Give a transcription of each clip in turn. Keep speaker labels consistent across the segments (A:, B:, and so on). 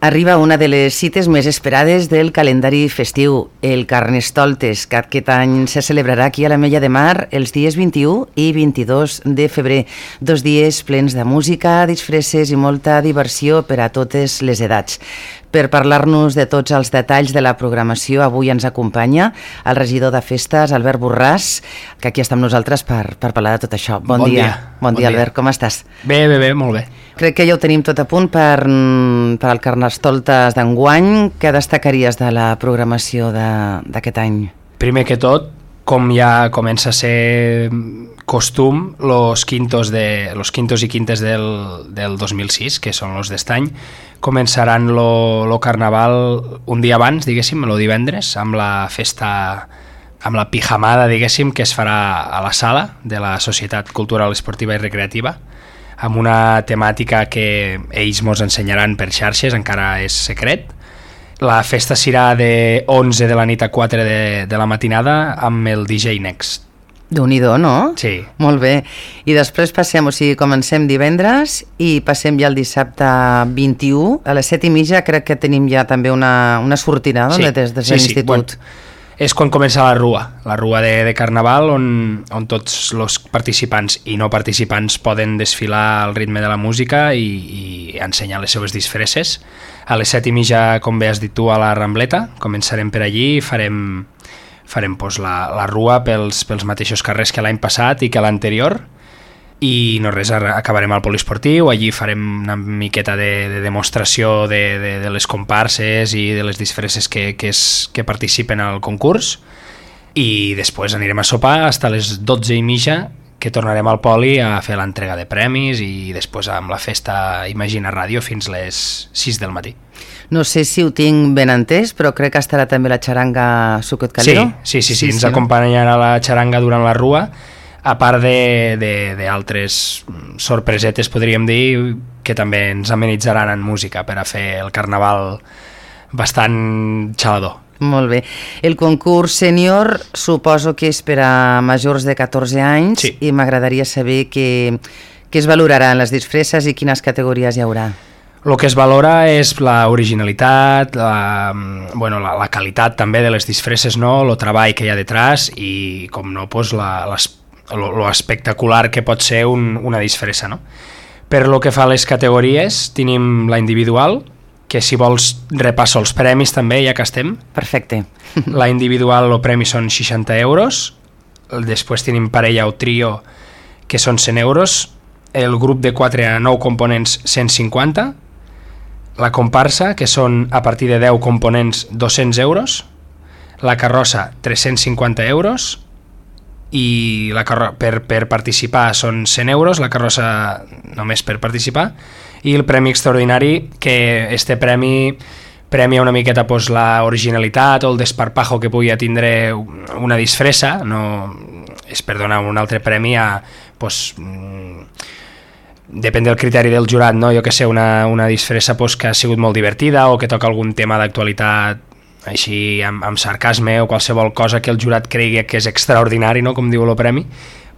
A: Arriba una de les cites més esperades del calendari festiu, el Carnestoltes, que aquest any se celebrarà aquí a l'Ametlla de Mar els dies 21 i 22 de febrer. 2 dies plens de música, disfresses i molta diversió per a totes les edats. Per parlar-nos de tots els detalls de la programació, avui ens acompanya el regidor de festes, Albert Borràs, que aquí està amb nosaltres per parlar de tot això. Bon dia. Bon dia, Albert, com estàs?
B: Bé, molt bé.
A: Crec que ja ho tenim tot a punt per al Carnestoltes d'enguany. Què destacaries de la programació d'aquest any?
B: Primer que tot, com ja comença a ser costum, los quintos i quintes del 2006, que són els d'est any, començaran lo carnaval un dia abans, diguéssim, el divendres, amb la festa, amb la pijamada, diguéssim, que es farà a la sala de la Societat Cultural, Esportiva i Recreativa, amb una temàtica que ells mos ensenyaran per xarxes, encara és secret. La festa serà de 11 de la nit a 4 de la matinada amb el DJ Next.
A: Déu-n'hi-do, no?
B: Sí.
A: Molt bé. I després comencem divendres i passem ja el dissabte 21. A les 7:30 crec que tenim ja també una sortida, no?
B: Sí.
A: Des de l'institut.
B: Bueno, és quan comença la rua de Carnaval, on tots els participants i no participants poden desfilar al ritme de la música i ensenyar les seves disfresses. A les 7:30, com bé has dit tu, a la Rambleta, començarem per allí i farem la rua pels mateixos carrers que l'any passat i que l'anterior, i no res, acabarem al poliesportiu. Allí farem una miqueta de demostració de les comparses i de les disfresses que participen al concurs, i després anirem a sopar fins a les 12:30, que tornarem al poli a fer l'entrega de premis, i després amb la festa Imagina Ràdio fins les 6 del matí.
A: No sé si ho tinc ben entès, però crec que estarà també la xaranga Sucot Calero.
B: Sí, ens acompanyarà la xaranga durant la rua, a part d'altres sorpresetes, podríem dir, que també ens amenitzaran en música per a fer el carnaval bastant xalador.
A: Molt bé. El concurs sènior suposo que és per a majors de 14 anys,
B: sí.
A: I m'agradaria saber què es valorarà en les disfresses i quines categories hi haurà.
B: El que es valora és la originalitat, la qualitat també de les disfresses, no? El treball que hi ha detrás i, com no, pues, lo espectacular que pot ser una disfressa, no? Per lo que fa a les categories, tenim la individual, que si vols repasso els premis també, ja que estem.
A: Perfecte.
B: La individual, el premi són 60 euros, després tenim parella o trio, que són 100 euros, el grup de 4 a 9 components 150, la comparsa, que són a partir de 10 components 200 euros, la carrossa 350 euros, i per participar són 100 euros, la carrossa només per participar, i el premi extraordinari, que este premia una miqueta pues, la originalitat o el desparpajo que pugui tindre una disfressa, no és per donar un altre premi a, pues, depèn del criteri del jurat, no? Jo que sé, una disfressa pues, que ha sigut molt divertida o que toca algun tema d'actualitat així amb sarcasme o qualsevol cosa que el jurat cregui que és extraordinari, no? Com diu el premi,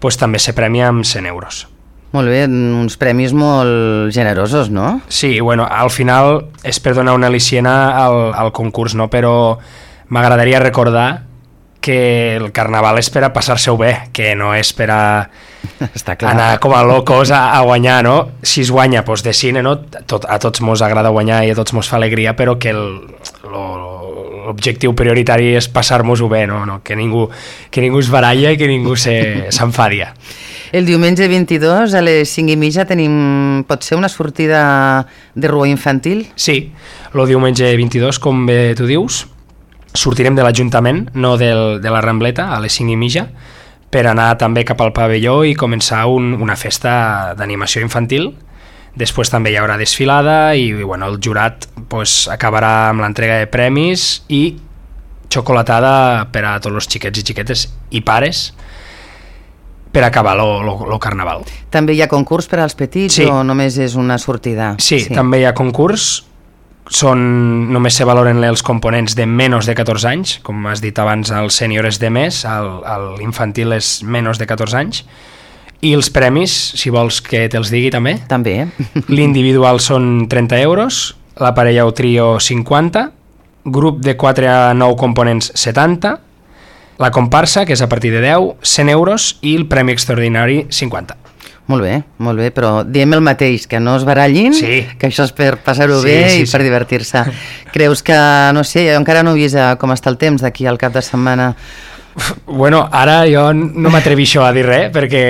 B: pues, també se premia amb 100 euros.
A: Molt bé, uns premis molt generosos, no?
B: Sí, bueno, al final és per donar una al·liciena al concurs, no? Però m'agradaria recordar que el carnaval és per a passar-se-ho bé, que no és per a anar com a locos a guanyar, no? Si es guanya, doncs de cine, no? A tots mos agrada guanyar i a tots mos fa alegria, però que l'objectiu prioritari és passar-mos-ho bé, no? Que ningú es baralla i que ningú s'enfadia.
A: El diumenge 22 a les 5:30 tenim, pot ser una sortida de rua infantil?
B: Sí, el diumenge 22, com bé tu dius, sortirem de l'Ajuntament, no de la Rambleta, a les 5:30, per anar també cap al pavelló i començar una festa d'animació infantil. Després també hi haurà desfilada i bueno, el jurat pues, acabarà amb l'entrega de premis i xocolatada per a tots els xiquets i xiquetes i pares per acabar el carnaval.
A: També hi ha concurs per als petits, sí. O només és una sortida?
B: Sí, també hi ha concurs. Només se valoren els components de menys de 14 anys, com has dit abans, el sènior és de més, l'infantil és menys de 14 anys, i els premis, si vols que te'ls digui també.
A: També.
B: L'individual són 30 euros, la parella o trio 50, grup de 4 a 9 components 70, la comparsa, que és a partir de 10, 100 euros i el premi extraordinari 50.
A: Molt bé, però diem el mateix, que no es barallin,
B: sí,
A: que això és per passar-ho bé i per divertir-se. Creus que, no sé, jo encara no he vist com està el temps d'aquí al cap de setmana?
B: Bueno, ara jo no m'atrevixo a dir res, perquè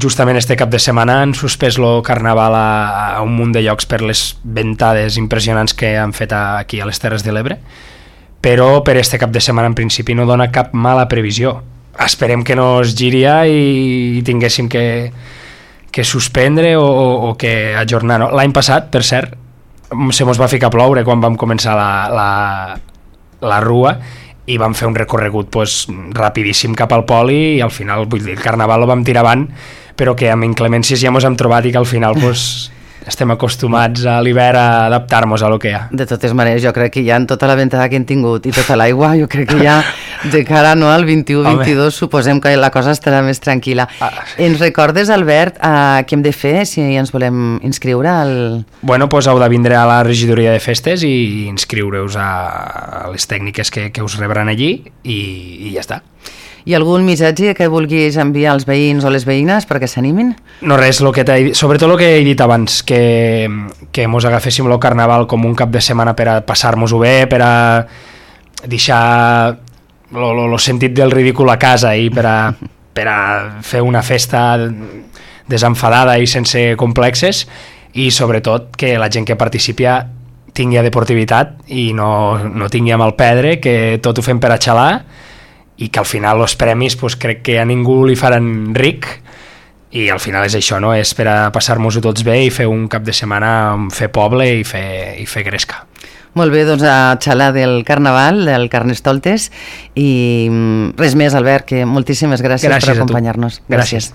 B: justament este cap de setmana han suspès el carnaval a un munt de llocs per les ventades impressionants que han fet aquí a les Terres de l'Ebre, però per este cap de setmana en principi no dona cap mala previsió. Esperem que no es giria i tinguéssim que suspendre o que ajornar. No? L'any passat, per cert, se mos va ficar a ploure quan vam començar la rua i vam fer un recorregut rapidíssim cap al poli i al final, vull dir, el carnaval el vam tirar avant, però que amb inclemències ja mos hem trobat i que al final estem acostumats a l'hivern a adaptar-nos a lo que hi ha.
A: De totes maneres, jo crec que ja en tota la ventada que hem tingut i tota l'aigua, jo crec que ja de cara al 21-22 suposem que la cosa estarà més tranquil·la. Ens recordes, Albert, què hem de fer si ens volem inscriure?
B: Bueno, doncs heu de vindre a la regidoria de festes i inscriure-us a les tècniques que us rebran allí i ja està.
A: I algun missatge que vulguis enviar als veïns o les veïnes perquè s'animin?
B: No, res, sobretot el que he dit abans, que mos agaféssim el carnaval com un cap de setmana per a passar-nos-ho bé, per a deixar el sentit del ridícul a casa i per a fer una festa desenfadada i sense complexes, i sobretot que la gent que participi tingui deportivitat i no tingui a mal pedre, que tot ho fem per a xalar, i que al final els premis crec que a ningú li faran ric i al final és això, no? És per a passar-nos-ho tots bé i fer un cap de setmana, fer poble i fer gresca.
A: Molt bé, doncs a xalar del carnaval, del Carnestoltes, i res més, Albert, que moltíssimes gràcies per acompanyar-nos.
B: Gràcies.